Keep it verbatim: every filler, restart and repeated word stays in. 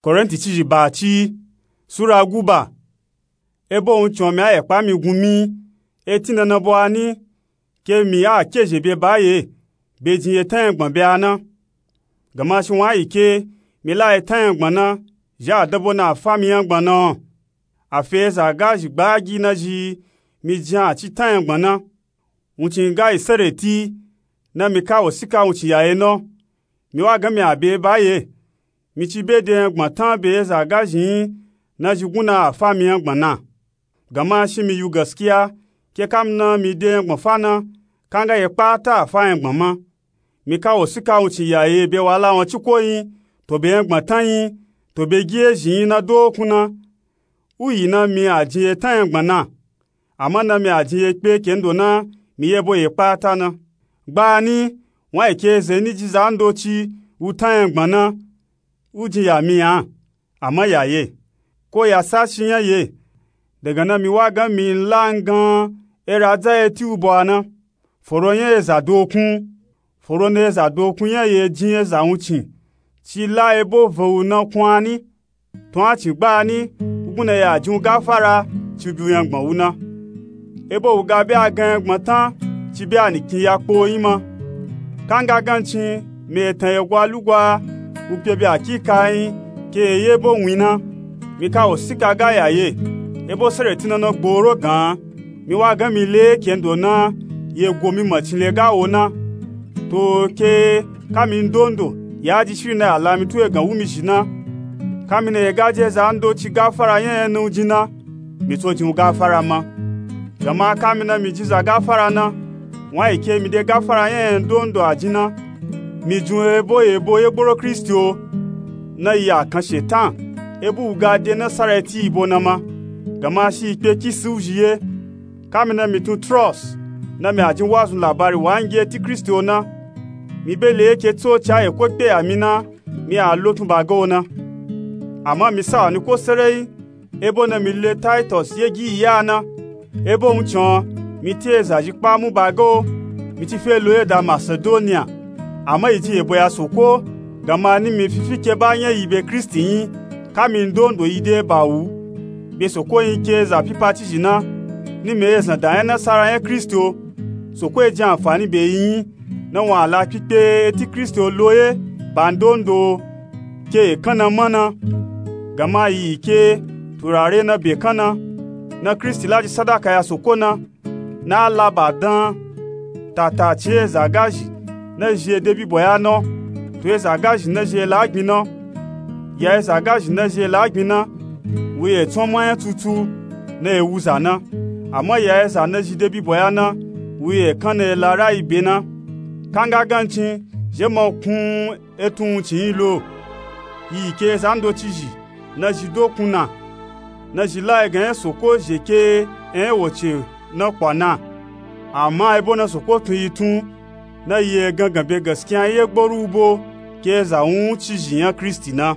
Korinti cizhi ba ci, sura guba. Ebo wuncin o mi a yekpa mi gun mi, e tin dandan bo a ni, ke mi a kezhe be ba ye, be jin ye tanyangban be a na. Gama shi wan a yi ke, mi la ye tanyangban na, zhi a danbo na a fa mi nyangban na o. A fe eza gazhi gbaagi na zhi mi jin a ci tanyangban na. Wuncin ga yi sereti, na mi ka wosika wuncin ya ye na o. Mi wa gan mi a be ba ye. Mi ci be de nyangban tan be eza gazhi nyi na zhi gun na a fa mi nyangban na. Gama shi mi yu gaskiya, ke kamina mi de nyangban fa na, kanga ye kpata a fa nyangban ma. Mi ka wosika wuncin ya ye be wala wan ciko nyi, to be nyangban tan nyi, to be gi ezhi nyi na dokun na. U yi na mi a jin ye tanyangban na. Ama na mi a jin ye kpe kendo na mi ye bo ye kpata na. Gbani, wan yi ke ze ni ji zandoci wu tanyangban na, u jin ya mi a, ama ya ye, ko ya sashi nya ye. Daga na mi wa gan mi la ngan era dza ye ti u bo a na. Foro nya eza dokun, foro na eza dokun nya ye jin eza wuncin, ci la ebo ve u na kun a ni. Tun a cin gbani, u gun na ya jin u gafara ci bi u nyangban u na. Ebo u ga be a gan nyangban tan ci be a nikin ya kpo nyi ma. Kanga gancin mi etan ye gwa lugwa u kpe be a kika nyi ke ye ye bo win na. Mi ka wosika ga ya ye, ebo sereti na na gboro gan. Mi wa gan mi le kendo na ye go mi macin le ga wo na. To ke kami ndondo ya ji shiri na ya la mi tu egan wu mi zhi na. Kami na ye ga je zandoci gafara nya ye na u jin na, mi to jin u gafara ma. Gama kami na mi jin za gafara na, wan yi ke mi de gafara nya ye ndondo a jin na. Mi jin u ebo ye bo ye gboro Kristi o, na yi a kan shetan, ebo u ga de nasara eti yi bo na ma. Gama shi yi kpe kisi u zhi ye. Kami na mi tun Tros, na mi a jin wazun labari wa ngi eti Kristi o na. Mi be le ye ke tsoci a ye ko kpe ya mi na, mi a lo tun ba ga o na. Ama mi sa wa ni ko sereyi, ebo na mi le Taitos ye gi yi a na. Ebo wuncin o, mi ti eza zhi kpa mu ba ga o, mi ci fe lo ye da Masedoniya. Ama yi jin yebo ya Soko, gama ni mi fifi ke ba nya yi be Kristi nyi, kami ndondo yi de ba wu. Be Soko nyi ke eza pipa cizhi na, ni mi ezan da nya nasara nya Kristi o. Soko e jin anfani be yi nyi, na wan a la kpikpe eti Kristi o lo ye ba ndondo ke ekan na ma na. Gama yi ke turare na be kan na, na Kristi la ji sadaka ya Soko na, na a la ba dan tatacin eza gazhi na zhi ye de bibo ya na o, to eza gazhi na zhi ye la gbin na o. Ya eza gazhi na zhi ye la gbin na, wu ye tson ma nya tutu na ye wu za na. Ama ya eza na zhi de bibo ya na, wu ye kan na ye la rayi be na. Kanga gancin zhe ma kun etun wuncin nyi lo. Yi ke zandoci zhi na zhi dokun na, na zhi la egan nya Soko zhe ke enya woce na kwa na. Ama ebo na Soko tun yi tun, na yi egangan be gaskiya ye gboro u bo ke eza wuncizhi nya Kristi na.